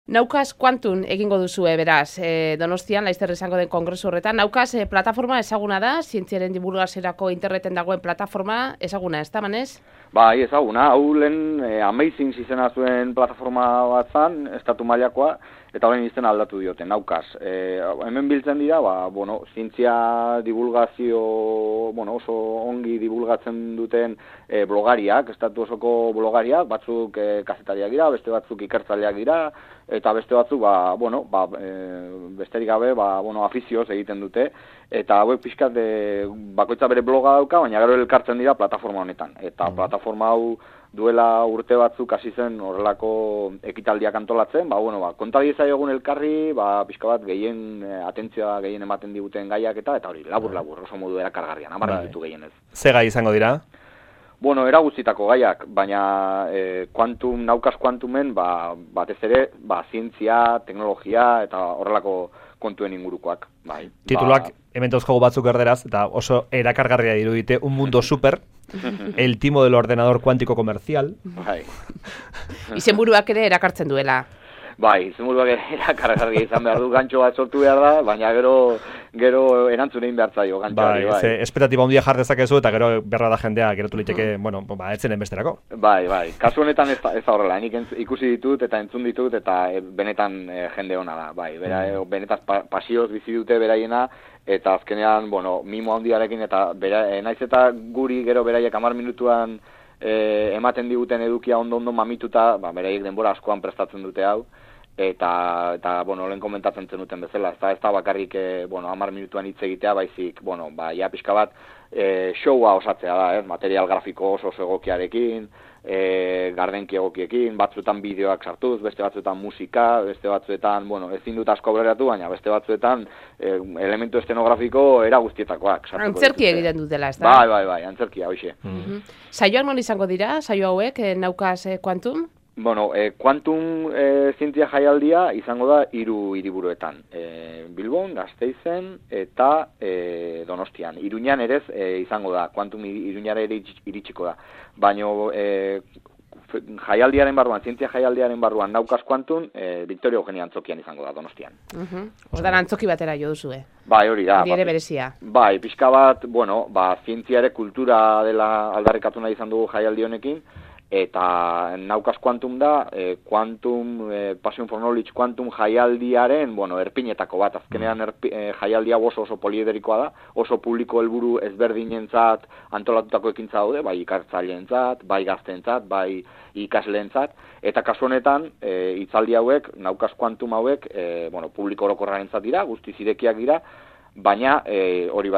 Naukas Quantum egingo duzue, beraz, Donostian, Laizzer izango den kongresu horretan. Naukas plataforma ezaguna da, zientziaren divulgaziorako interneten dagoen plataforma ezaguna, ez da, Manez? Bai, ezaguna, hau lehen Amazing izena zuen plataforma bat zan, estatu mailakoa, eta horren izena aldatu diote, Naukas. Hemen biltzen dira, zientzia divulgazio, oso ongi divulgatzen duten blogariak, estatu osoko blogariak, batzuk kazetariak dira, beste batzuk ikertzaileak dira, eta beste batzuk, besterik gabe, afizioz egiten dute, eta hauek pixkat bakoitza bere bloga dauka, baina gero elkartzen dira plataforma honetan. Eta plataforma hau duela urte batzuk hasi zen horrelako ekitaldiak antolatzen, konta diezaiogun elkarri, pixka bat gehien atentzioa gehien ematen diguten gaiak eta hori, labur-labur, oso modu erakargarrian, 10 minutu gehienez. Ze gai izango dira? Eraguztitako gaiak, baina Naukas Quantumen batez ere, zientzia, teknologia eta horrelako kontuen ingurukoak. Tituluak hemen dauzkagu batzuk erderaz, eta oso erakargarria dirudite, un mundo super, el timo del ordenador cuántico comercial. Izenburuak ere erakartzen duela. Izenburuak ere erakargarria izan behar du, gantxo bat sortu behar da, baina gero erantzun egin behar zaio, gantxoari. Esperatiba handia jar dezakezu, eta gero berra da jendea, geratu liteke, etzenen besterako. Kasu honetan ez da horrela, nik ikusi ditut eta entzun ditut, eta benetan jende hona da, benetan pasioz bizi dute beraiena, eta azkenean, mimo handiarekin, eta naiz eta guri gero beraiek 10 minutuan ematen diguten edukia ondo mamituta, beraiek denbora askoan prestatzen dute hau, eta lehen komentatzen zenuten bezala, ez da bakarrik 10 minutuan hitz egitea, baizik, pixka bat, showa osatzea da, material grafiko oso egokiarekin, gardenki egokiekin, batzuetan bideoak sartuz, beste batzuetan musika, beste batzuetan, ezin dut asko aurreratu, baina beste batzuetan elementu estenografiko era guztietakoak. Antzerki egiten dutela, ez da? Bai, antzerkia, hoxe. Saioak non izango dira, saio hauek, Naukas Quantum? Quantum zientzia jaialdia izango da 3 hiriburuetan. Bilbon, Gasteizen eta Donostian. Iruñan ere izango da, Quantum Iruñara ere iritsiko da. Baina jaialdiaren barruan, zientzia jaialdiaren barruan Naukas Quantum, Victoria Eugenia Antzokian izango da, Donostian. Hortan antzoki batera jo duzue. Hori da. Hori ere berezia. Pixka bat, zientzia ere kultura dela aldarrikatu nahi izan dugu jaialdi honekin, eta Naukas Quantum da, Passion for Knowledge Quantum jaialdiaren, erpinetako bat, azkenean jaialdia oso poliederikoa da, oso publiko helburu ezberdinentzat antolatutako ekintza daude, bai ikertzaileentzat, bai gazteentzat, bai ikasleentzat, eta kasu honetan, hitzaldi hauek, Naukas Quantum hauek, publiko orokorrarentzat dira, guztiz irekiak dira, baina hori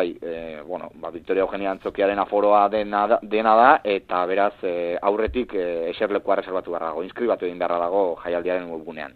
Victoria Eugenia Antzokiaren aforoa dena da, eta beraz aurretik eserlekua reservatu beharra dago, inskribatu egin beharra dago jaialdiaren webgunean.